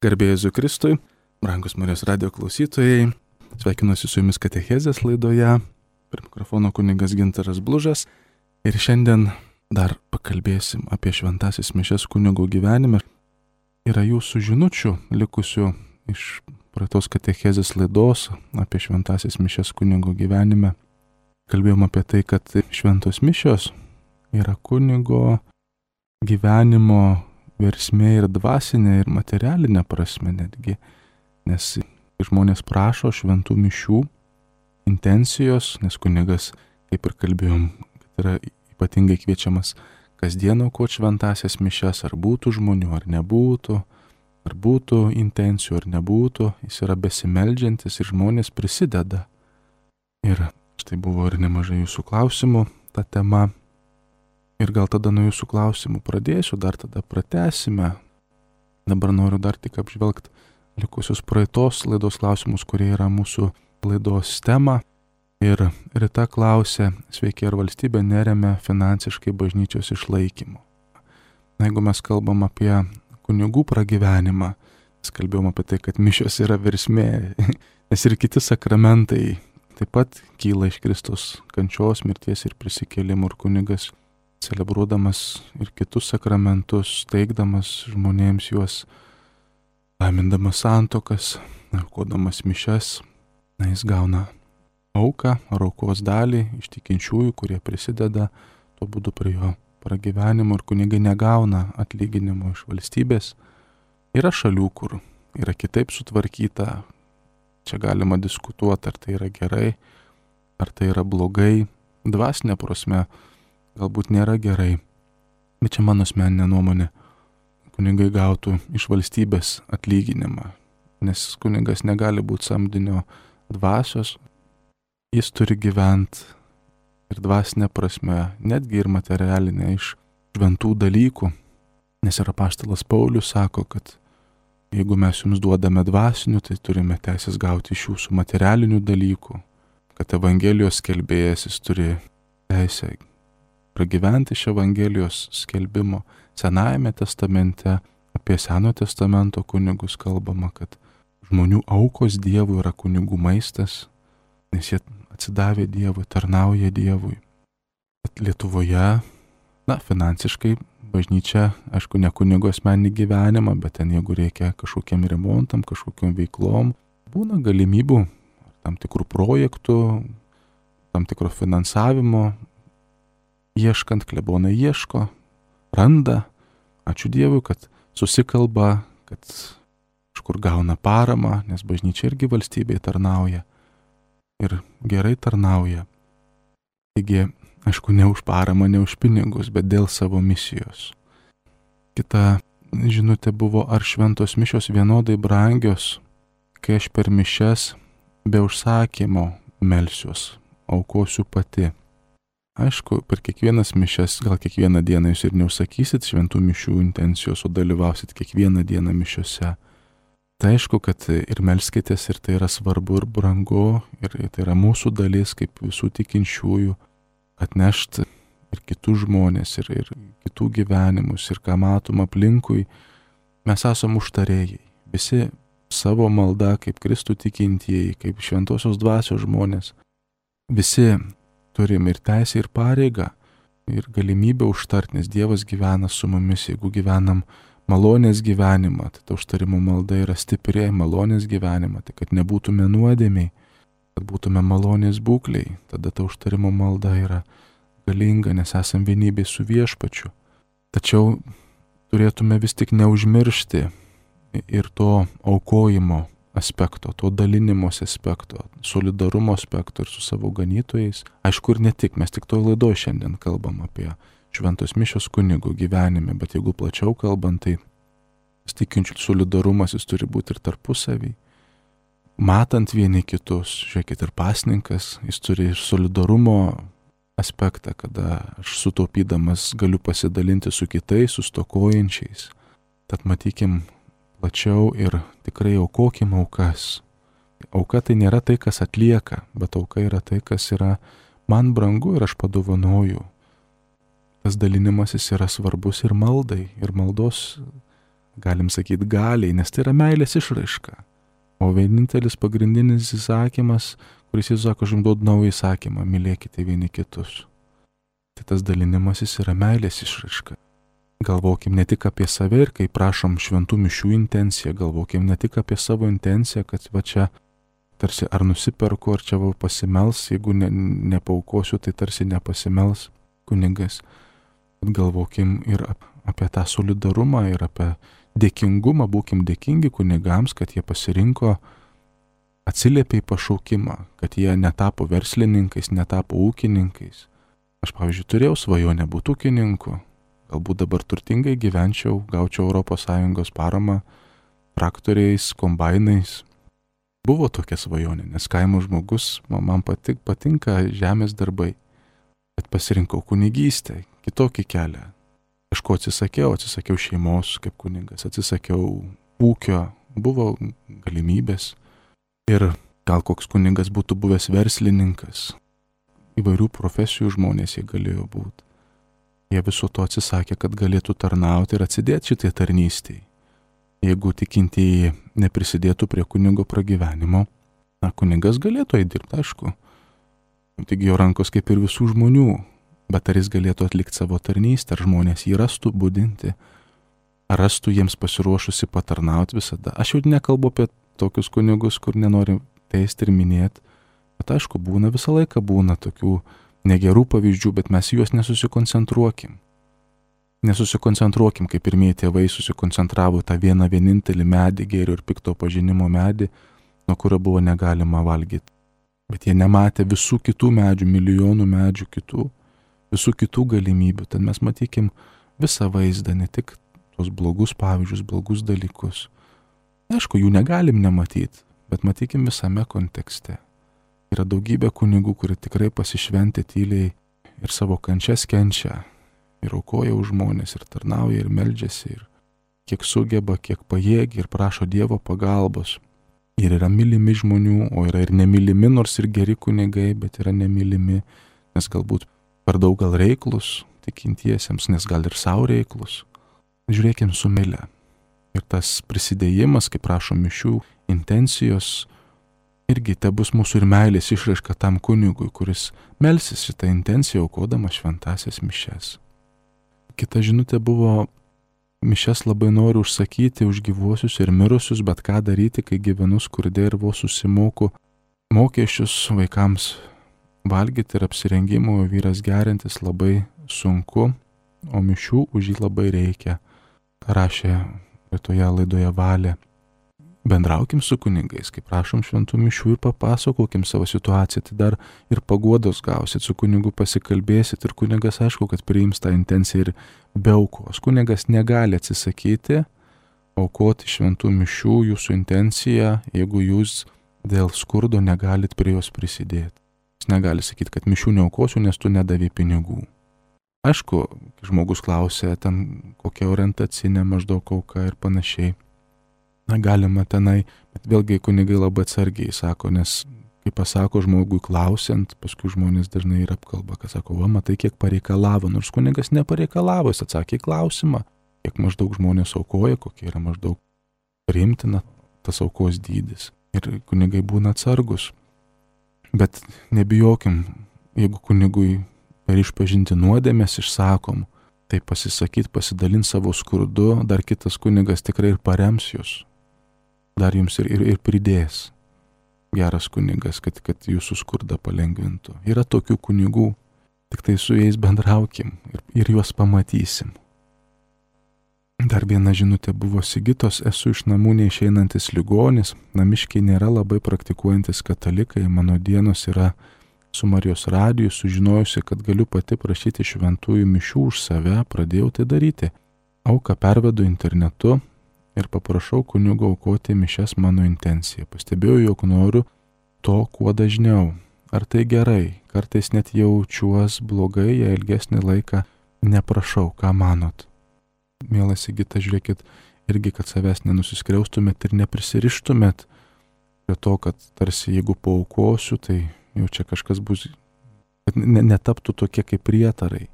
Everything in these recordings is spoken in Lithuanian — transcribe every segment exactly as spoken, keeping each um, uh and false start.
Garbė Jėzui Kristui, brangus Marijos radijo klausytojai, sveikinuosi su jumis katechezės laidoje, prie mikrofono kunigas Gintaras Blužas ir šiandien dar pakalbėsim apie šventasis mišias kunigo gyvenime. Yra jūsų žinučių likusių iš praeitos katechezės laidos apie šventasis mišias kunigo gyvenime. Kalbėjom apie tai, kad šventos mišios yra kunigo gyvenimo versmė ir dvasinė, ir materialinė prasme netgi, nes žmonės prašo šventų mišių intencijos, nes kunigas, kaip ir kalbėjom, kad yra ypatingai kviečiamas kasdien aukoti šventasias mišias, ar būtų žmonių, ar nebūtų, ar būtų intencijų, ar nebūtų, jis yra besimeldžiantis ir žmonės prisideda. Ir štai buvo ir nemažai jūsų klausimų ta tema. Ir gal tada nuo jūsų klausimų pradėsiu, dar tada pratęsime. Dabar noriu dar tik apžvelgti likusius praeitos laidos klausimus, kurie yra mūsų laidos tema. Ir Rita klausė, sveiki, ar valstybė neremia finansiškai bažnyčios išlaikymo. Na, jeigu mes kalbam apie kunigų pragyvenimą, mes kalbėjom apie tai, kad mišios yra versmė, nes ir kiti sakramentai taip pat kyla iš Kristaus kančios, mirties ir prisikėlimo, ir kunigas celebruodamas ir kitus sakramentus, teikdamas žmonėms juos, laimindamas santuokas, aukodamas mišias, na, jis gauna auką ar aukos dalį iš tikinčiųjų, kurie prisideda tuo būdu prie jo pragyvenimo, ir kunigai negauna atlyginimo iš valstybės. Yra šalių, kur yra kitaip sutvarkyta, čia galima diskutuoti, ar tai yra gerai, ar tai yra blogai, dvasinė prasme galbūt nėra gerai, bet čia mano asmeninė nuomonė. Kunigai gautų iš valstybės atlyginimą, nes kunigas negali būti samdinio dvasios, jis turi gyventi ir dvasinė prasme, netgi ir materialinė, iš šventų dalykų, nes ir apaštalas Paulius sako, kad jeigu mes jums duodame dvasinių, tai turime teisės gauti iš jūsų materialinių dalykų, kad Evangelijos skelbėjas jis turi teisę pragyventi iš Evangelijos skelbimo. Senajame testamente, apie Senojo testamento kunigus kalbama, kad žmonių aukos Dievui yra kunigų maistas, nes jie atsidavė Dievui, tarnauja Dievui. Bet Lietuvoje, na, finansiškai bažnyčia, aišku, ne kunigo asmeninį gyvenimą, bet ten jeigu reikia kažkokiam remontam, kažkokiam veiklom, būna galimybių, tam tikrų projektų, tam tikro finansavimo, ieškant, klebonai ieško, randa, ačiū Dievui, kad susikalba, kad kažkur gauna paramą, nes bažnyčia irgi valstybėje tarnauja ir gerai tarnauja. Taigi, aišku, ne už paramą, ne už pinigus, bet dėl savo misijos. Kita žinutė buvo, ar šventos mišios vienodai brangios, kai aš per mišias be užsakymo melsiuos, aukosiu pati. Aišku, per kiekvienas mišias, gal kiekvieną dieną jūs ir neužsakysit šventų mišių intencijos, o dalyvausit kiekvieną dieną mišiose. Tai aišku, kad ir melskitės, ir tai yra svarbu ir brangu, ir tai yra mūsų dalis kaip visų tikinčiųjų, atnešti ir kitų žmonės, ir, ir kitų gyvenimus, ir ką matom aplinkui. Mes esam užtarėjai, visi savo malda kaip Kristų tikintieji, kaip šventosios dvasios žmonės, visi turim ir teisę, ir pareigą, ir galimybę užtart, nes Dievas gyvena su mumis. Jeigu gyvenam malonės gyvenimą, tai ta užtarimo malda yra stipri, malonės gyvenimą, tai kad nebūtume nuodėmiai, kad būtume malonės būkliai, tada ta užtarimo malda yra galinga, nes esam vienybėj su Viešpačiu. Tačiau turėtume vis tik neužmiršti ir to aukojimo aspekto, to dalinimos aspekto, solidarumo aspekto ir su savo ganytojais. Aišku, ir ne tik, mes tik toj laidoj šiandien kalbam apie šventos mišios kunigų gyvenime, bet jeigu plačiau kalbant, tai tikinčių solidarumas jis turi būti ir tarpusavy. Matant vieni kitus, žiūrėkit, ir pasninkas, jis turi ir solidarumo aspektą, kada aš sutaupydamas galiu pasidalinti su kitais, su stokojančiais. Tad matykim plačiau ir tikrai aukokim aukas. Auka tai nėra tai, kas atlieka, bet auka yra tai, kas yra man brangu ir aš padovanoju. Tas dalinimasis yra svarbus ir maldai, ir maldos galim sakyti galiai, nes tai yra meilės išraiška. O vienintelis pagrindinis įsakymas, kuris Jėzus sako, aš jums duodu naują įsakymą, mylėkite vieni kitus. Tai tas dalinimasis yra meilės išraiška. Galvokim ne tik apie save ir kai prašom šventų mišių intenciją, galvokim ne tik apie savo intenciją, kad va čia tarsi ar nusiperku, ar čia va pasimels, jeigu ne, nepaukosiu, tai tarsi nepasimels kunigas. Bet galvokim ir apie tą solidarumą ir apie dėkingumą, būkim dėkingi kunigams, kad jie pasirinko, atsiliepė į pašaukimą, kad jie netapo verslininkais, netapo ūkininkais. Aš, pavyzdžiui, turėjau svajonę būti ūkininku, galbūt dabar turtingai gyvenčiau, gaučiau Europos Sąjungos paramą traktoriais, kombainais. Buvo tokia svajonė, nes kaimo žmogus, man patik, patinka žemės darbai, bet pasirinkau kunigystę, kitokį kelią. Kažko atsisakiau, atsisakiau šeimos kaip kunigas, atsisakiau ūkio, buvo galimybės. Ir gal koks kunigas būtų buvęs verslininkas, įvairių profesijų žmonės jie galėjo būti. Jie viso to atsisakė, kad galėtų tarnauti ir atsidėti šitai tarnystėj. Jeigu tikintieji neprisidėtų prie kunigo pragyvenimo, na, kunigas galėtų įdirbti, aišku. Tik jo rankos kaip ir visų žmonių. Bet ar jis galėtų atlikti savo tarnystę, ar žmonės jį rastų budinti, ar rastų jiems pasiruošusi patarnauti visada. Aš jau nekalbu apie tokius kunigus, kur nenori teisti ir minėti, bet aišku, būna visą laiką būna tokių negerų pavyzdžių, bet mes juos nesusikoncentruokim. Nesusikoncentruokim, kaip pirmieji tėvai susikoncentravo tą vieną vienintelį medį, gėrio ir pikto pažinimo medį, nuo kurio buvo negalima valgyti. Bet jie nematė visų kitų medžių, milijonų medžių kitų, visų kitų galimybių. Tad mes matykim visą vaizdą, ne tik tos blogus pavyzdžius, blogus dalykus. Aišku, jų negalim nematyti, bet matykim visame kontekste. Yra daugybė kunigų, kurie tikrai pasišventė tyliai ir savo kančias kenčia, ir aukoja už žmonės, ir tarnauja, ir meldžiasi, ir kiek sugeba, kiek pajėgia, ir prašo Dievo pagalbos. Ir yra mylimi žmonių, o yra ir nemylimi, nors ir geri kunigai, bet yra nemylimi, nes galbūt per daug gal reiklus tikintiesiems, nes gal ir savo reiklus. Žiūrėkim su meile. Ir tas prisidėjimas, kaip prašo mišių, intencijos, irgi te bus mūsų ir meilės išraiška tam kunigui, kuris melsis šitą intenciją, aukodamas šventasias mišias. Kita žinutė buvo, mišias labai noriu užsakyti už gyvuosius ir mirusius, bet ką daryti, kai gyvenu skurde ir vos susimoku mokesčius vaikams valgyti ir apsirengimo, vyras gerintis labai sunku, o mišių už jį labai reikia. Rašė toje laidoje Valė. Bendraukim su kunigais, kaip prašom šventų mišių ir papasakokim savo situaciją, tai dar ir paguodos gausit, su kunigu pasikalbėsit ir kunigas aišku, kad priims tą intenciją ir be aukos. Kunigas negali atsisakyti aukoti šventų mišių jūsų intenciją, jeigu jūs dėl skurdo negalit prie jos prisidėti. Jis negali sakyti, kad mišių neaukosiu, nes tu nedavė pinigų. Aišku, žmogus klausia, ten kokia orientacinė maždaug auka ir panašiai. Na, galima tenai, bet vėlgi kunigai labai atsargiai sako, nes kai pasako žmogui klausiant, paskui žmonės dažnai ir apkalba, kad sako, va, matai, kiek pareikalavo, nors kunigas nepareikalavo, jis atsakė į klausimą, kiek maždaug žmonės aukoja, kokia yra maždaug priimtina tas aukos dydis. Ir kunigai būna atsargus. Bet nebijokim, jeigu kunigui per išpažinti nuodėmės išsakom, tai pasisakyt, pasidalint savo skurdu, dar kitas kunigas tikrai ir parems jūs. Dar jums ir, ir, ir pridės. Geras kunigas, kad, kad jūsų skurdą palengvintų. Yra tokių kunigų, tik tai su jais bendraukim ir, ir juos pamatysim. Dar viena žinutė buvo Sigitos, esu iš namų neišeinantis ligonis, namiškiai nėra labai praktikuojantis katalikai, mano dienos yra su Marijos radiju, sužinojusi, kad galiu pati prašyti šventųjų mišių už save, pradėjau tai daryti. Auką pervedu internetu ir paprašau kunigo aukoti mišias mano intenciją. Pastebėjau, jog noriu to kuo dažniau. Ar tai gerai? Kartais net jaučiuos blogai, jei ilgesnį laiką neprašau, ką manot? Mielas Sigita, žiūrėkit, irgi, kad savęs nenusiskriaustumėt ir neprisirištumėt prie to, kad tarsi jeigu paaukosiu, tai jau čia kažkas bus, kad netaptų tokie kaip prietarai.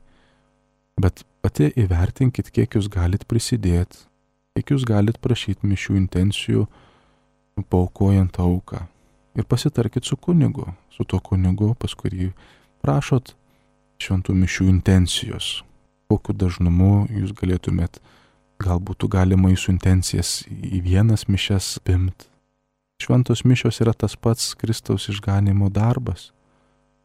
Bet pati įvertinkit, kiek jūs galit prisidėti, kiek jūs galite prašyti mišių intencijų, paaukojant auką. Ir pasitarkit su kunigu, su tuo kunigu, pas kurį prašot šventų mišių intencijos. Kokiu dažnumu jūs galėtumėt, galbūt galima jūsų intencijas į vienas mišias pimt. Šventos mišios yra tas pats Kristaus išganimo darbas.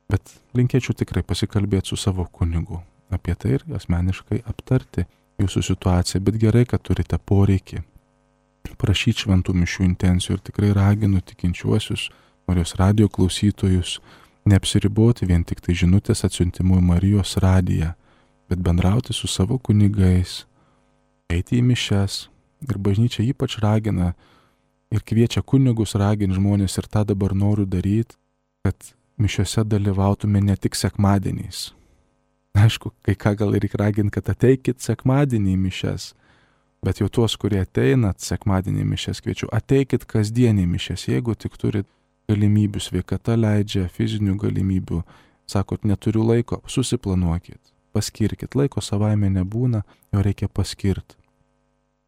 Bet linkėčiau tikrai pasikalbėti su savo kunigu apie tai ir asmeniškai aptarti jūsų situaciją. Bet gerai, kad turite poreikį prašyti šventų mišių intencijų ir tikrai raginu tikinčiuosius, Marijos radijo klausytojus, neapsiriboti vien tik tai žinutės atsiuntimu į Marijos radiją, bet bendrauti su savo kunigais, eiti į mišias. Ir bažnyčia ypač ragina ir kviečia kunigus raginti žmonės, ir tą dabar noriu daryti, kad mišiose dalyvautume ne tik sekmadieniais. Aišku, kai ką gal reikia raginti, kad ateikit sekmadienį į mišias, bet jau tuos, kurie ateinat sekmadienį į mišias, kviečiu, ateikit kasdienį į mišias, jeigu tik turit galimybių, sveikata leidžia, fizinių galimybių, sakot, neturiu laiko, susiplanuokit, paskirkit, laiko savaime nebūna, jo reikia paskirti.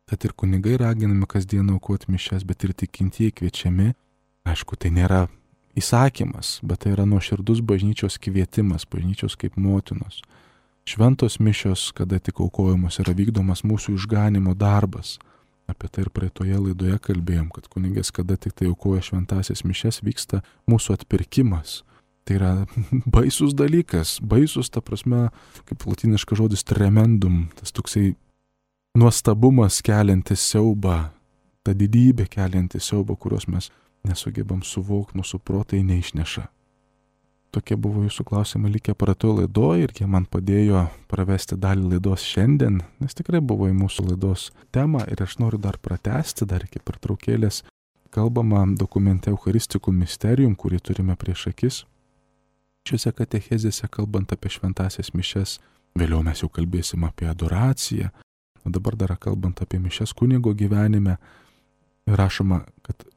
Tad ir kunigai raginami kasdien aukoti mišias, bet ir tikintieji kviečiami. Aišku, tai nėra įsakymas, bet tai yra nuoširdus bažnyčios kvietimas, bažnyčios kaip motinos. Šventos mišios, kada tik aukojamos, yra vykdomas mūsų išganimo darbas. Apie tai ir praeitoje laidoje kalbėjom, kad kunigas, kada tik tai aukoja šventasias mišias, vyksta mūsų atpirkimas. Tai yra baisus dalykas, baisus, ta prasme, kaip latiniškas žodis tremendum, tas toksai nuostabumas keliantis siaubą, ta didybė keliantis siaubą, kurios mes nesugebam suvokti, mūsų protai neišneša. Tokie buvo jūsų klausimai likę praeitoje laidoje ir jie man padėjo pravesti dalį laidos šiandien, nes tikrai buvo į mūsų laidos temą ir aš noriu dar pratęsti, dar iki pertraukėlės kalbama dokumente Eucharisticum Mysterium, kurį turime prieš akis. Šiuose katechezėse kalbant apie šventasias mišias, vėliau mes jau kalbėsim apie adoraciją, o dabar dar kalbant apie mišias kunigo gyvenime, rašoma, kad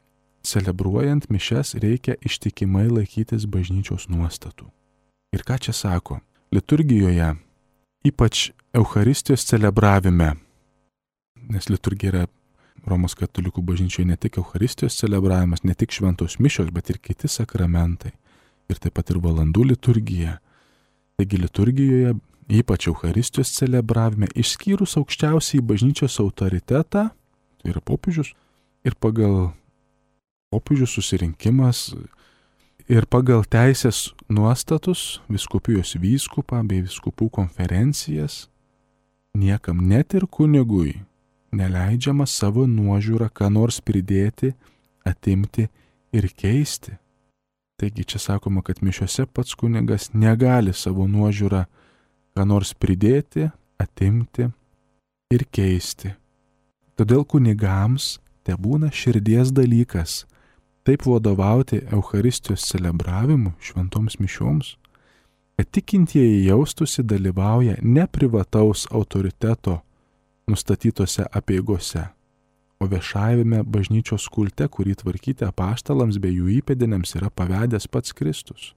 celebruojant mišias reikia ištikimai laikytis bažnyčios nuostatų. Ir ką čia sako? Liturgijoje, ypač Eucharistijos celebravime, nes liturgija yra Romos katalikų bažnyčioje ne tik Eucharistijos celebravimas, ne tik šventos mišios, bet ir kiti sakramentai. Ir taip pat ir valandų liturgija. Taigi liturgijoje, ypač Eucharistijos celebravime, išskyrus aukščiausiai bažnyčios autoritetą, tai yra popiežius, ir pagal popiežių susirinkimas ir pagal teisės nuostatus vyskupijos vyskupą bei vyskupų konferencijas niekam, net ir kunigui, neleidžiama savo nuožiūrą ką nors pridėti, atimti ir keisti. Taigi čia sakoma, kad mišiose pats kunigas negali savo nuožiūrą ką nors pridėti, atimti ir keisti. Todėl kunigams tebūna širdies dalykas taip vadovauti Eucharistijos celebravimu, šventoms mišioms, kad tikintieji jaustųsi dalyvauja ne privataus autoriteto nustatytose apeigose, o viešajame bažnyčios kulte, kurį tvarkyti apaštalams bei jų įpėdiniams yra pavedęs pats Kristus.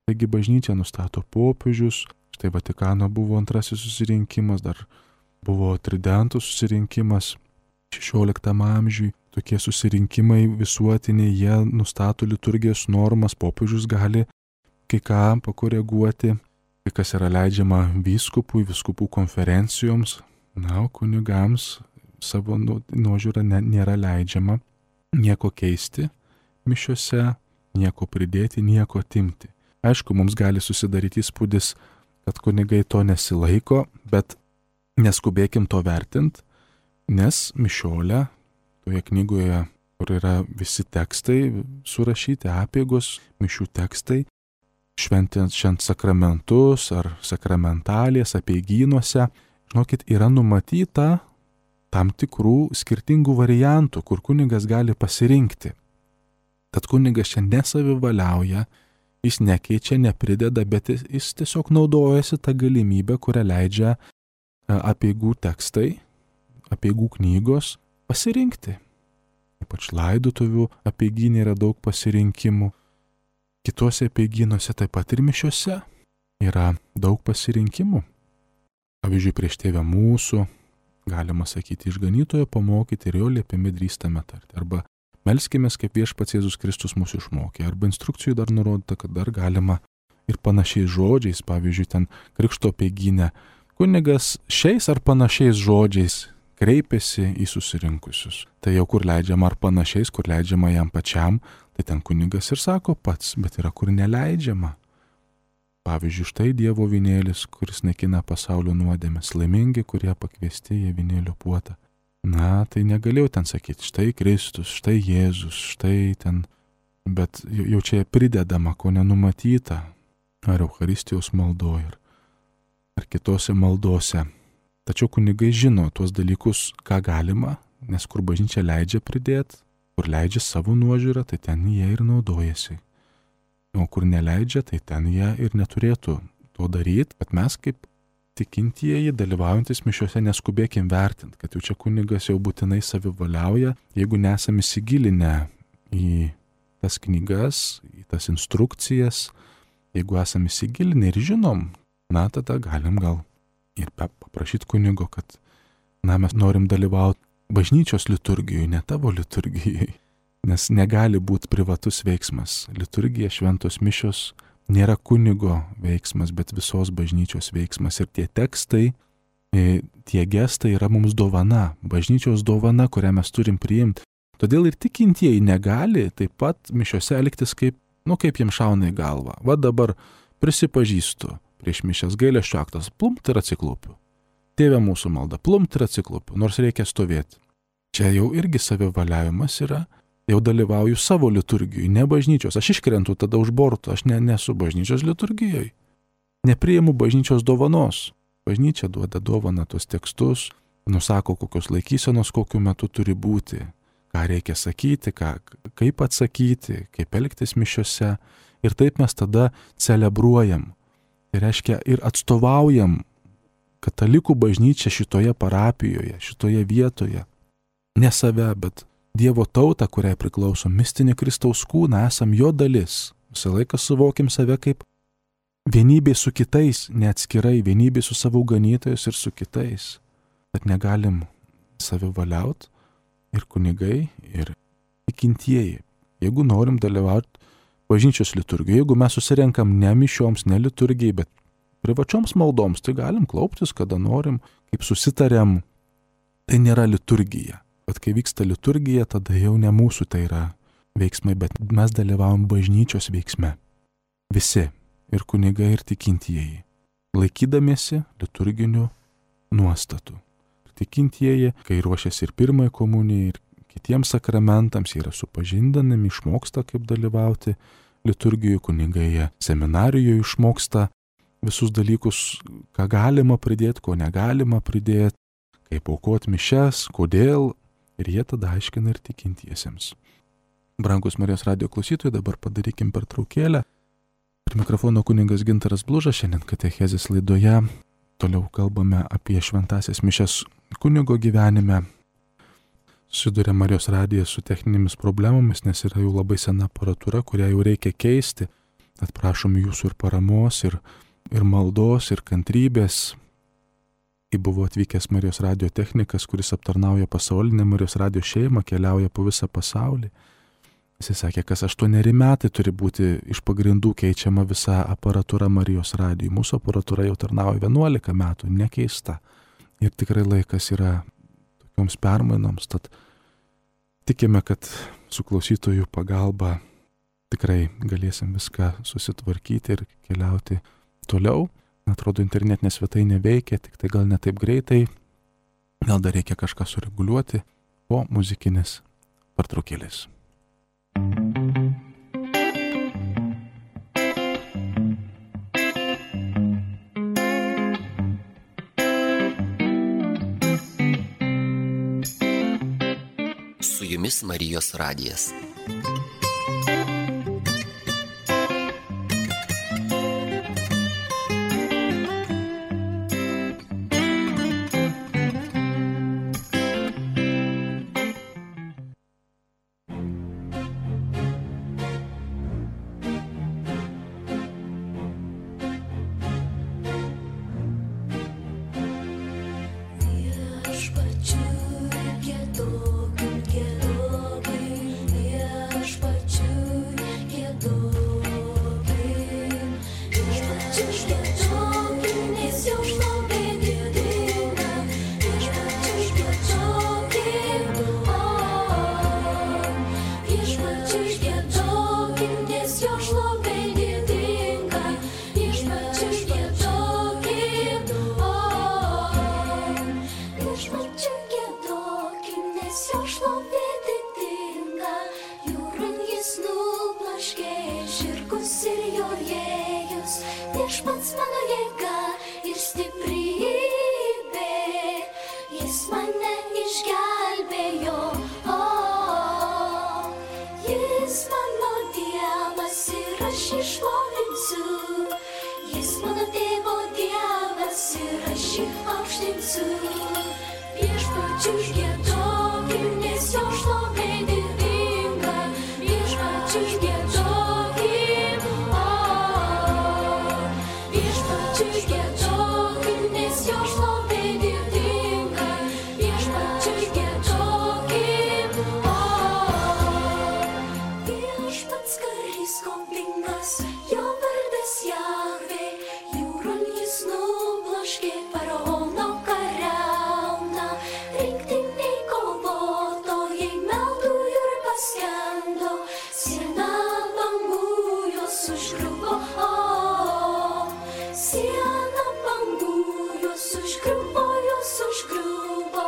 Taigi bažnyčia nustato popiežius, štai Vatikano buvo antrasis susirinkimas, dar buvo tridentų susirinkimas šešioliktam amžiui. Tokie susirinkimai visuotiniai, jie nustato liturgijos normas, popiežius gali kai ką pakoreguoti, kai kas yra leidžiama vyskupui, vyskupų konferencijoms, na, kunigams savo nuožiūrą nėra leidžiama nieko keisti mišiose, nieko pridėti, nieko atimti. Aišku, mums gali susidaryti įspūdis, kad kunigai to nesilaiko, bet neskubėkim to vertinti, nes mišiolė, toje knygoje, kur yra visi tekstai surašyti, apeigos, mišių tekstai, šventinant švent sakramentus ar sakramentalės apeigynuose, žinokit, yra numatyta tam tikrų skirtingų variantų, kur kunigas gali pasirinkti. Tad kunigas čia nesavivaliauja, jis nekeičia, neprideda, bet jis tiesiog naudojasi tą galimybę, kurią leidžia apeigų tekstai, apeigų knygos, pasirinkti. Ypač laidotuvių apeigynė yra daug pasirinkimų. Kitose apeigynuose taip pat ir mišiose yra daug pasirinkimų. Pavyzdžiui, prieš Tėvę mūsų galima sakyti, išganytojo pamokyti ir jo liepimi drįstame tarti. Arba melskimės, kaip Viešpats Jėzus Kristus mūsų išmokė. Arba instrukcijų dar nurodyta, kad dar galima ir panašiais žodžiais, pavyzdžiui, ten krikšto apeigyne, kunigas šiais ar panašiais žodžiais kreipiasi į susirinkusius. Tai jau kur leidžiama ar panašiais, kur leidžiama jam pačiam, tai ten kunigas ir sako pats, bet yra kur neleidžiama. Pavyzdžiui, štai Dievo vynėlis, kuris naikina pasaulio nuodėmes, laimingi, kurie pakviesti į vynėlio puotą. Na, tai negalėjau ten sakyti, štai Kristus, štai Jėzus, štai ten, bet jau čia pridedama, ko nenumatyta, ar Eucharistijos maldoje, ar kitose maldose. Tačiau kunigai žino tuos dalykus, ką galima, nes kur bažnyčia leidžia pridėti, kur leidžia savo nuožiūrą, tai ten jie ir naudojasi. O kur neleidžia, tai ten jie ir neturėtų to daryti, kad mes kaip tikintieji, dalyvaujantis mišiuose, neskubėkim vertinti, kad jau čia kunigas jau būtinai savivaliauja, jeigu nesame įsigilinę į tas knygas, į tas instrukcijas, jeigu esame įsigilinę ir žinom, na, tada galim gal ir paprašyti kunigo, kad, na, mes norim dalyvauti bažnyčios liturgijoje, ne tavo liturgijoje, nes negali būti privatus veiksmas. Liturgija, šventos mišios nėra kunigo veiksmas, bet visos bažnyčios veiksmas. Ir tie tekstai, tie gestai yra mums dovana, bažnyčios dovana, kurią mes turim priimti. Todėl ir tikintieji negali taip pat mišiose elgtis kaip, nu, kaip jiems šauna į galvą. Va dabar prisipažįstu prieš mišias gailesčio aktas, plumpt ir atsiklaupiu. Tėve mūsų malda, plumpt ir atsiklaupiu, nors reikia stovėti. Čia jau irgi savivaliavimas yra. Jau dalyvauju savo liturgijoje, ne bažnyčios. Aš iškrentu tada už borto, aš ne, nesu bažnyčios liturgijoje. Nepriimu bažnyčios dovanos. Bažnyčia duoda dovaną tos tekstus, nusako, kokios laikysenos kokiu metu turi būti, ką reikia sakyti, ką, kaip atsakyti, kaip elgtis mišiose. Ir taip mes tada celebruojam. Tai reiškia ir atstovaujam katalikų bažnyčią šitoje parapijoje, šitoje vietoje. Ne save, bet Dievo tautą, kuriai priklauso mistinį Kristaus kūną, esam jo dalis. Visą laiką suvokim save kaip vienybė su kitais, neatskirai, vienybė su savo ganytojais ir su kitais. Bet negalim savivaliauti ir kunigai, ir tikintieji. Jeigu norim dalyvauti bažnyčios liturgijoje, jeigu mes susirenkam ne mišioms, ne liturgijai, bet privačioms maldoms, tai galim klauptis, kada norim, kaip susitarėm. Tai nėra liturgija. Bet kai vyksta liturgija, tada jau ne mūsų tai yra veiksmai, bet mes dalyvavom bažnyčios veiksme. Visi, ir kunigai, ir tikintieji, laikydamiesi liturginių nuostatų. Tikintieji, kai ruošiasi ir pirmai komunijai, ir kitiems sakramentams, jie yra supažindinami, išmoksta, kaip dalyvauti liturgijoje, kunigai jie seminarijoje išmoksta visus dalykus, ką galima pridėti, ko negalima pridėti, kaip aukoti mišias, kodėl. Ir jie tada aiškina ir tikintiesiems. Brangus Marijos radijo klausytojai, dabar padarykim pertraukėlę. Prie mikrofono kunigas Gintaras Blužas, šiandien katechezės laidoje. Toliau kalbame apie šventąsias mišias kunigo gyvenime. Susiduria Marijos radijas su techninėmis problemomis, nes yra jau labai sena aparatūra, kurią jau reikia keisti. Tad prašom jūsų ir paramos, ir, ir maldos, ir kantrybės. Kai buvo atvykęs Marijos radijo technikas, kuris aptarnauja pasaulinę Marijos radijo šeimą, keliauja po visą pasaulį. Jis sakė, kas aštuoneri metai turi būti iš pagrindų keičiama visa aparatūra Marijos radijui. Mūsų aparatūra jau tarnauja vienuolika metų, nekeista. Ir tikrai laikas yra tokioms permainoms. Tad tikime, kad su klausytojų pagalba tikrai galėsim viską susitvarkyti ir keliauti toliau. Atrodo, internetinė svetainė veikia, tik tai gal ne taip greitai, gal dar reikia kažką sureguliuoti po muzikinės pertraukėlės. Su jumis Marijos radijas. Viešpatie jo šlovė didinga, jūran jis nublaškė žirgus ir jorėjus. Viešpats mano jėga ir stiprybė, jis mane išgelbėjo. O, jis mano Dievas ir aš jį šlovinsiu. Jis mano tėvo Dievas ir aš jį aukštinsiu. Viešpačiui giedokim, nes jo šlovė didinga. Viešpačiui giedokim, o, viešpačiui giedokim, nes jo šlovė didinga. Viešpačiui giedokim, o, viešpats karys kombingas, jo vardas Jahvė, jūron jis nubloškė faraono kariauną. Rinktiniai kovotojai meldujo ir paskendo, siena bangų juos užgriuvo. O, siena bangų juos užgriuvo, juos užgriuvo.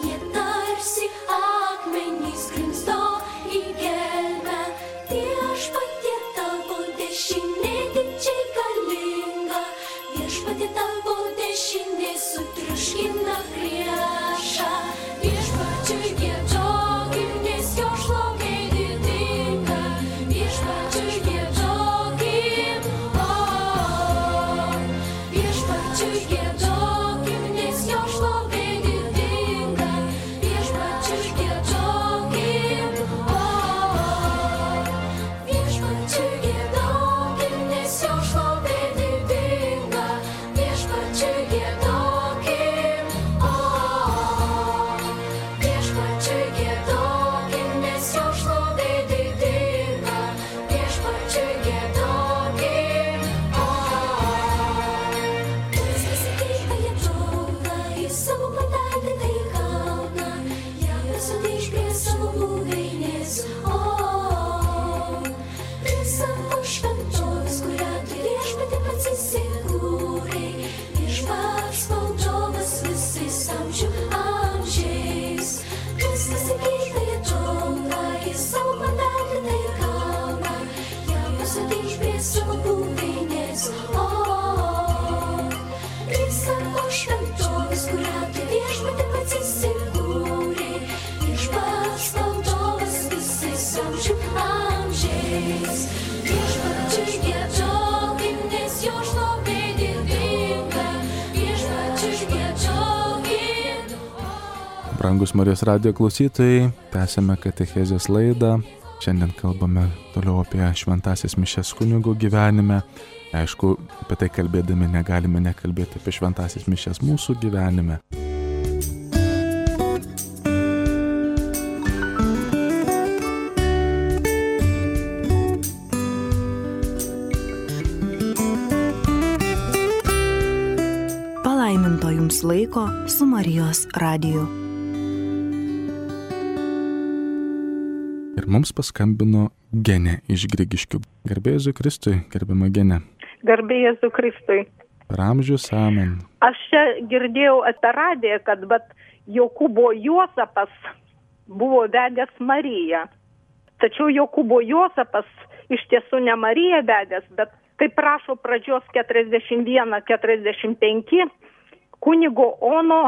Jie tarsi akmenys grimzdo į gelmę. Viešpatie tavo dešinė didžiai galinga. Viešpatie tavo dešinė sutriuškina priešą. Viešpačiui giedokim, nes jo šlovė didinga. Viešpačiui giedokim, o, viešpačiui giedokim, nes jo šlovė didinga. Viešpačiui giedokim, o, viešpačiui giedokim, nes jo šlovė didinga. Viešpačiui giedokim, o, viešpačiui giedokim, nes jo šlovė didinga. Viešpačiui giedokim, o, viskas ateina į džiaugsmą, į savo pataikytąjį kalną. Jahvė sugrįš prie savo buveinės, o, prie savo šventovės, kurią tu viešpatie pats įsikūrei. Viešpats valdovas visais amžių amžiais. Viskas ateina į džiaugsmą, į savo pataikytąjį kalną. Jahvė sugrįš prie savo buveinės, o, prie savo šventovės, kurią tu viešpatie pats įsikūrei. Viešpats valdovas visais amžių amžiais. Viešpačiui giedokim, nes jo šlovė didinga. Viešpačiui giedokim, Brangus Marijos radijo klausytojai, tęsiame katechezės laidą. Šiandien kalbame toliau apie šventąsias mišias kunigų gyvenime. Aišku, apie tai kalbėdami negalime nekalbėti apie šventąsias mišias mūsų gyvenime. Palaiminto jums laiko su Marijos radiju. Ir mums paskambino Genė iš Grigiškių. Garbė Jėzui Kristui, gerbiama Genė. Garbė Jėzui Kristui. Per amžius amen. Aš čia girdėjau apie radiją, kad bet Jokūbo Juozapas buvo vedęs Mariją. Tačiau Jokūbo Juozapas iš tiesų ne Mariją vedęs, bet kaip prašo pradžios keturiasdešimt vienas keturiasdešimt penki, kunigo Ono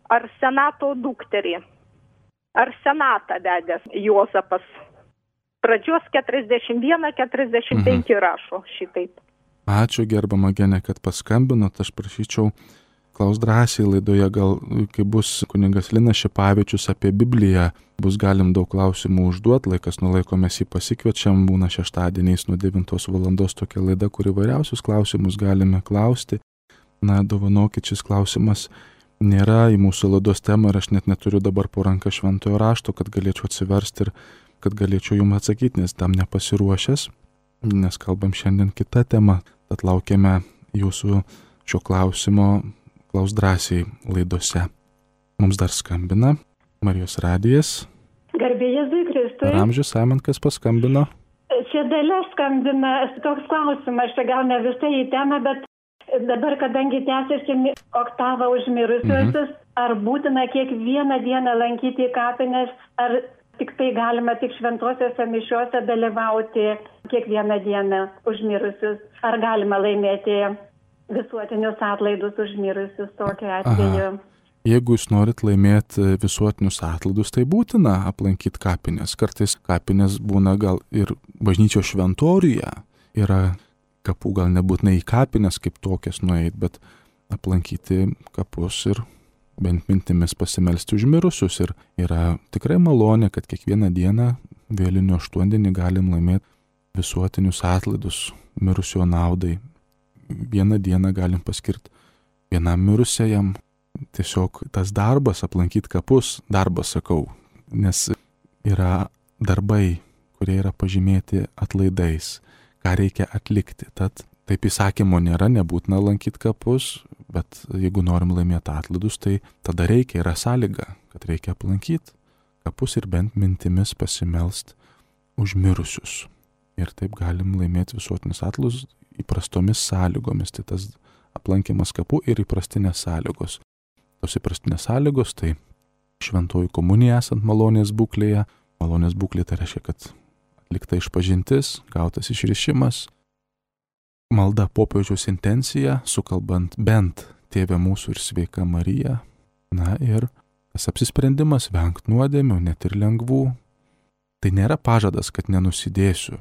Arsenato dukterį. Arsenatą vedęs Juozapas. Pradžios keturiasdešimt vienas keturiasdešimt penki mhm. rašo šitaip. Ačiū gerbama Genė, kad paskambinot. Aš prašyčiau, klaus drąsiai laidoje, gal kai bus kunigas Linas Šipavičius apie Bibliją, bus galim daug klausimų užduoti, laikas nuo laiko mes jį pasikviečiam, būna šeštadieniais nuo devintos valandos tokia laida, kur įvairiausius klausimus galime klausti. Na, dovanokit, šis klausimas nėra į mūsų laidos temą ir aš net neturiu dabar po ranką šventojo rašto, kad galėčiau atsiversti ir kad galėčiau jums atsakyti, nes tam nepasiruošęs, nes kalbam šiandien kitą temą, tad laukiame jūsų šio klausimo, klaus drąsiai laidose. Mums dar skambina Marijos radijas. Garbė Jėzui Kristui. Per amžius amen, kas paskambino? Čia Dalia skambina, toks klausimas, čia gal ne visai į temą, bet dabar, kadangi tęsiasi oktava užmirusiuosius, mhm. Ar būtina kiekvieną dieną lankyti kapines, ar tik tai galima tik šventosiuose mišiuose dalyvauti kiekvieną dieną už mirusius? Ar galima laimėti visuotinius atlaidus už mirusius tokiu atveju? Aha. Jeigu jūs norit laimėti visuotinius atlaidus, tai būtina aplankyti kapines. Kartais kapines būna gal ir bažnyčios šventoriuje. Yra kapų, gal nebūtinai į kapines kaip tokias nueit, bet aplankyti kapus ir bent mintimis pasimelsti už mirusius. Ir yra tikrai malonė, kad kiekvieną dieną vėlinių aštuondienį galim laimėti visuotinius atlaidus mirusio naudai. Vieną dieną galim paskirti vienam mirusiajam. Tiesiog tas darbas, aplankyti kapus, darbas sakau, nes yra darbai, kurie yra pažymėti atlaidais, ką reikia atlikti. Tad taip įsakymo nėra, nebūtina lankyti kapus, bet jeigu norim laimėti atlaidus, tai tada reikia, yra sąlyga, kad reikia aplankyti kapus ir bent mintimis pasimelst už mirusius. Ir taip galim laimėti visuotinius atlaidus įprastomis sąlygomis, tai tas aplankimas kapų ir įprastinės sąlygos. Tos įprastinės sąlygos, tai šventoji komunija esant malonės būklėje. Malonės būklė tai reiškia, kad atlikta išpažintis, gautas išrišimas, malda popiežiaus intencija, sukalbant bent Tėve mūsų ir Sveika Marija. Na ir tas apsisprendimas vengti nuodėmių, net ir lengvų. Tai nėra pažadas, kad nenusidėsiu,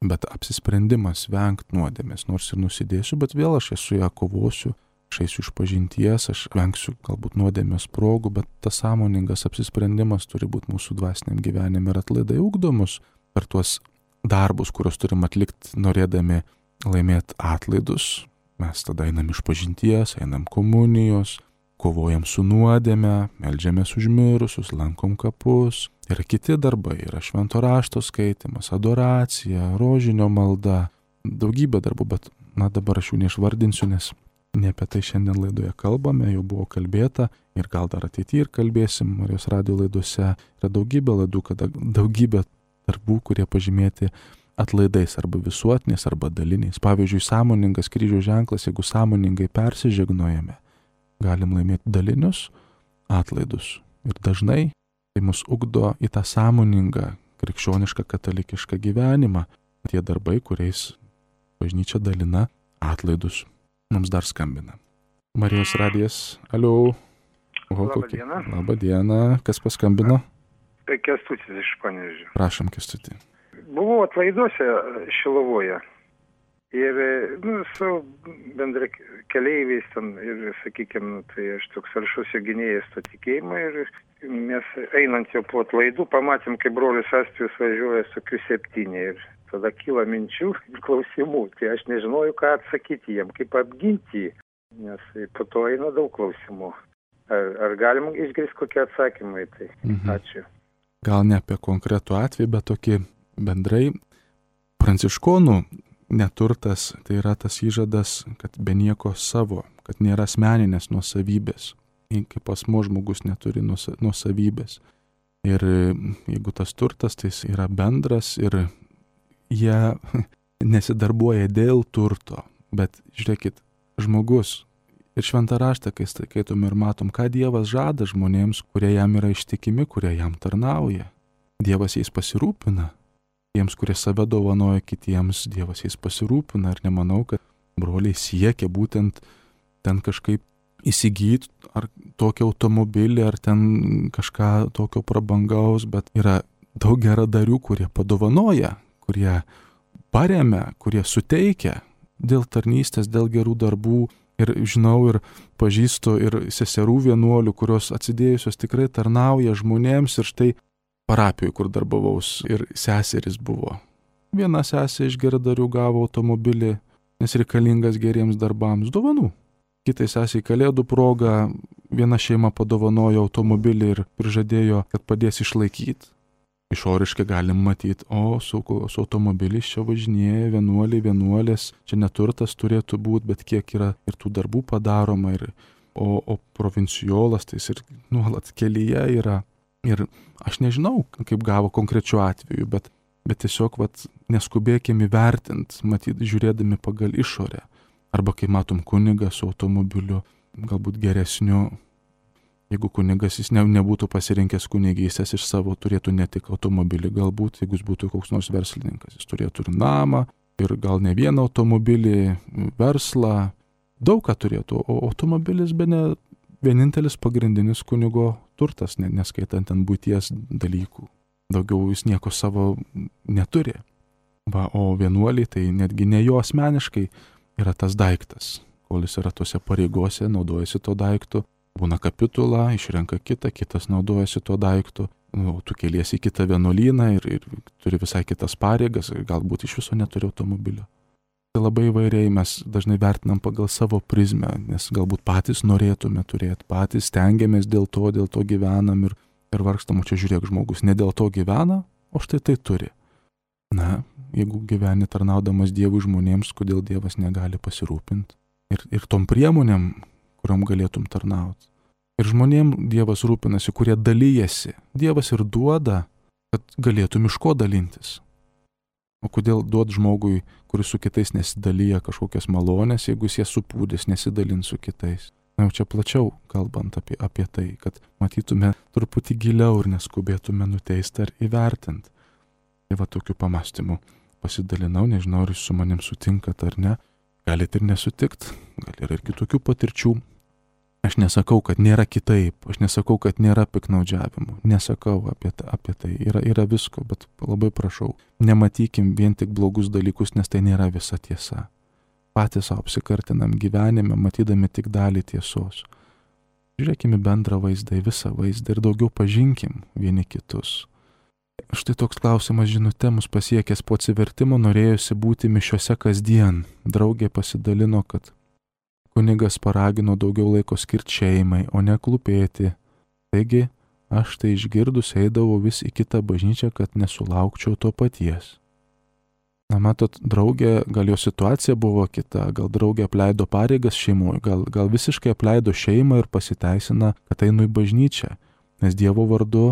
bet apsisprendimas vengti nuodėmės. Nors ir nusidėsiu, bet vėl aš esu ją kovosiu. Aš eisiu iš pažinties, aš vengsiu galbūt nuodėmės progų, bet tas sąmoningas apsisprendimas turi būti mūsų dvasiniam gyvenime ir atlaidai ugdomus per tuos darbus, kuriuos turim atlikti norėdami laimėti atlaidus. Mes tada einam iš pažinties, einam komunijos, kovojam su nuodėme, meldžiamės už mirusius, lankom kapus. Yra kiti darbai, yra švento rašto skaitimas, adoracija, rožinio malda, daugybė darbų, bet na dabar aš jų neišvardinsiu, nes ne apie tai šiandien laidoje kalbame, jau buvo kalbėta ir gal dar ateityje ir kalbėsim Marijos radijo laidose. Yra daugybė laidų, kada daugybė darbų, kurie pažymėti atlaidais arba visuotiniais, arba daliniais. Pavyzdžiui, sąmoningas kryžiaus ženklas, jeigu sąmoningai persižegnojame, galim laimėti dalinius atlaidus. Ir dažnai tai mus ugdo į tą sąmoningą, krikščionišką, katalikišką gyvenimą. Tie darbai, kuriais bažnyčia dalina atlaidus. Mums dar skambina. Marijos radijas. Aliu. Oho, Labą kokie... dieną. Labą dieną. Kas paskambino? Tai Kęstutis iš Panevėžio. Prašom, Kęstutį. Buvau atlaiduose Šilovoje ir nu, su bendra keleiviais ten ir, sakykime, tai aš toks aršus jo gynėjas to tikėjimo ir mes einant jau po atlaidų pamatėm, kaip brolis Astijus važiuoja su Q septyni ir tada kyla minčių ir klausimų. Tai aš nežinojau, ką atsakyti jiem, kaip apginti jį, nes po to eina daug klausimų. Ar, ar galim išgirsti kokie atsakymai? Tai mhm. Ačiū. Gal ne apie konkretų atvejį, bet tokį bendrai pranciškonų neturtas, tai yra tas įžadas, kad be nieko savo, kad nėra asmeninės nuosavybės, kaip asmuo žmogus neturi nuosavybės. Ir jeigu tas turtas, tai jis yra bendras ir jie nesidarbuoja dėl turto, bet žiūrėkit, žmogus ir šventą raštą, kai skaitom ir matom, ką Dievas žada žmonėms, kurie jam yra ištikimi, kurie jam tarnauja. Dievas jais pasirūpina. Tiems, kurie save dovanoja kitiems, Dievas jais pasirūpina. Ir nemanau, kad broliai siekia būtent ten kažkaip įsigyti ar tokį automobilį, ar ten kažką tokio prabangaus, bet yra daug geradarių, kurie padovanoja, kurie paremia, kurie suteikia dėl tarnystės, dėl gerų darbų. Ir žinau ir pažįstu ir seserų vienuolių, kurios atsidėjusios tikrai tarnauja žmonėms. Ir štai parapijoje, kur darbavaus, ir seseris buvo. Viena sesė iš geradarių gavo automobilį, nes reikalingas geriems darbams dovanų. Kitai sesiai kalėdų proga viena šeima padovanojo automobilį ir prižadėjo, kad padės išlaikyti. Išoriškai galim matyti, o su, su automobiliais čia važinėja vienuoliai, vienuolės, čia neturtas turėtų būti, bet kiek yra ir tų darbų padaroma, ir, o, o provincijolas tai jis ir nuolat kelyje yra. Ir aš nežinau, kaip gavo konkrečiu atveju, bet, bet tiesiog vat, neskubėkime įvertinti, matyti, žiūrėdami pagal išorę. Arba kai matom kunigą su automobiliu, galbūt geresniu, Jeigu kunigas jis ne, nebūtų pasirinkęs kunigystės iš savo, turėtų ne tik automobilį, galbūt, jeigu jis būtų koks nors verslininkas, jis turėtų ir namą, ir gal ne vieną automobilį, verslą, daug ką turėtų, o automobilis be ne vienintelis pagrindinis kunigo turtas, neskaitant ten būties dalykų. Daugiau jis nieko savo neturi. Va, o vienuoliai tai netgi ne jo asmeniškai yra tas daiktas, kol jis yra tose pareigose, naudojasi to daiktu. Būna kapitula, išrenka kitą, kitas naudojasi tuo daiktu, nu, tu keliesi į kitą vienuolyną ir, ir turi visai kitas pareigas, ir galbūt iš viso neturi automobilio. Tai labai įvairiai mes dažnai vertinam pagal savo prizmę, nes galbūt patys norėtume turėti, patys stengiamės dėl to, dėl to gyvenam ir, ir vargstam, o čia žiūrėk, žmogus ne dėl to gyvena, o štai tai turi. Na, jeigu gyveni tarnaudamas Dievui žmonėms, kodėl Dievas negali pasirūpinti ir, ir tom priemonėm, kuriam galėtum tarnauti. Ir žmonėm Dievas rūpinasi, kurie dalyjasi. Dievas ir duoda, kad galėtum iš ko dalintis. O kodėl duot žmogui, kuris su kitais nesidalyja kažkokias malonės, jeigu jis jas supūdės, nesidalins su kitais. Na jau čia plačiau kalbant apie, apie tai, kad matytume truputį giliau ir neskubėtume nuteisti ar įvertinti. Tai va tokiu pamastymu pasidalinau, nežinau, ar jūs su manim sutinkat ar ne. Galite ir nesutikt, gal yra ir kitokių patirčių. Aš nesakau, kad nėra kitaip, aš nesakau, kad nėra piknaudžiavimų, nesakau apie, apie tai, yra, yra visko, bet labai prašau, nematykim vien tik blogus dalykus, nes tai nėra visa tiesa. Patys savo apsikartinam gyvenime, matydami tik dalį tiesos. Žiūrėkime bendrą vaizdą, visą vaizdą ir daugiau pažinkim vieni kitus. Štai toks klausimas žinute mus pasiekęs po atsivertimo, norėjusi būti mišiose kasdien. Draugė pasidalino, kad kunigas paragino daugiau laiko skirti šeimai, o ne klūpėti. Taigi, aš tai išgirdus eidavau vis į kitą bažnyčią, kad nesulaukčiau to paties. Na, matot, draugė, gal jo situacija buvo kita, gal draugė apleido pareigas šeimoje, gal, gal visiškai apleido šeimą ir pasiteisina, kad einu į bažnyčią, nes Dievo vardu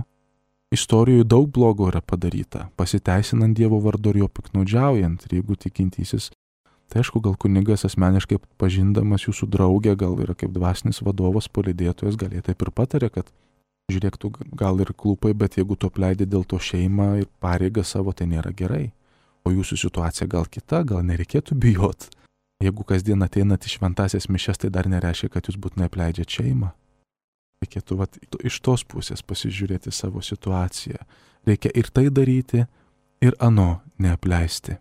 istorijų daug blogo yra padaryta, pasiteisinant Dievo vardu ir jo piknaudžiaujant, ir jeigu tikintysis. Tai aišku, gal kunigas asmeniškai pažindamas jūsų draugę, gal yra kaip dvasinis vadovas, palydėtojas, gal jie taip ir patarė, kad žiūrėk, tu gal ir klūpai, bet jeigu tu apleidai dėl to šeimą ir pareigą savo, tai nėra gerai. O jūsų situacija gal kita, gal nereikėtų bijot. Jeigu kasdien ateinat į šventąsias mišias, tai dar nereiškia, kad jūs būtinai apleidžiat šeimą. Reikėtų vat, iš tos pusės pasižiūrėti savo situaciją. Reikia ir tai daryti, ir ano neapleisti.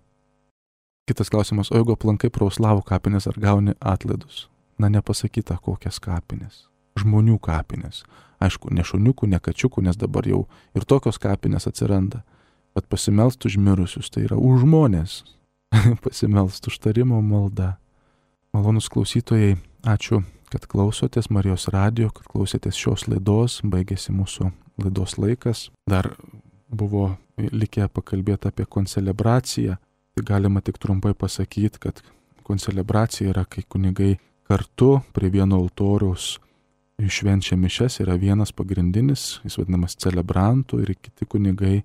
Kitas klausimas, o jeigu aplankai prauslavų kapinės, ar gauni atlaidus? Na, nepasakyta, kokias kapinės. Žmonių kapinės. Aišku, ne šuniukų, ne kačiukų, nes dabar jau ir tokios kapinės atsiranda. Bet pasimelst už mirusius, tai yra už žmonės. Pasimelst už tarimo malda. Malonus klausytojai, ačiū, kad klausotės Marijos radijo, kad klausėtės šios laidos. Baigėsi mūsų laidos laikas. Dar buvo likę pakalbėti apie koncelebraciją. Tai galima tik trumpai pasakyti, kad koncelebracija yra, kai kunigai kartu prie vieno altoriaus švenčia mišias, yra vienas pagrindinis, jis vadinamas celebrantų ir kiti kunigai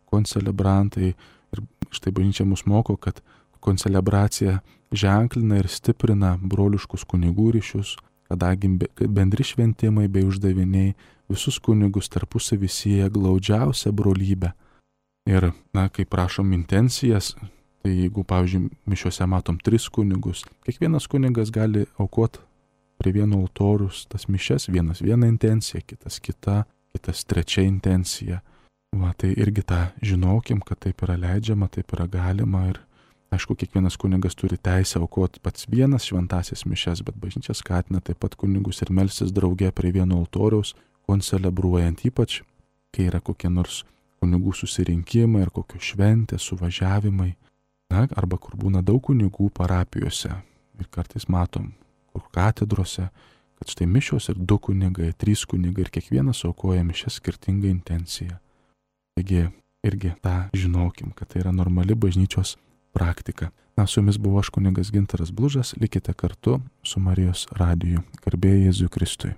koncelebrantai. Ir štai bažnyčia mus moko, kad koncelebracija ženklina ir stiprina broliškus kunigų ryšius, kadangi bendri šventimai bei uždaviniai visus kunigus tarpusavy sieja glaudžiausią brolybę. Ir, na, kai prašom intencijas, tai jeigu, pavyzdžiui, mišiuose matom tris kunigus, kiekvienas kunigas gali aukoti prie vieno altorius tas mišias, vienas viena intencija, kitas kita, kitas trečia intencija. Va, tai irgi tą žinokim, kad taip yra leidžiama, taip yra galima ir, aišku, kiekvienas kunigas turi teisę aukoti pats vienas šventąsias mišias, bet bažnyčia skatina taip pat kunigus ir melstis drauge prie vieno altoriaus, koncelebruojant, ypač, kai yra kokie nors kunigų susirinkimai ar kokios šventės, suvažiavimai. Na, arba kur būna daug kunigų parapijose ir kartais matom, kur katedrose, kad štai mišios ir du kunigai, trys kunigai ir kiekvienas aukoja mišias skirtingą intenciją. Taigi irgi tą žinokim, kad tai yra normali bažnyčios praktika. Na, su jumis buvo aš kunigas Gintaras Blužas, likite kartu su Marijos radiju. Garbė Jėzui Kristui.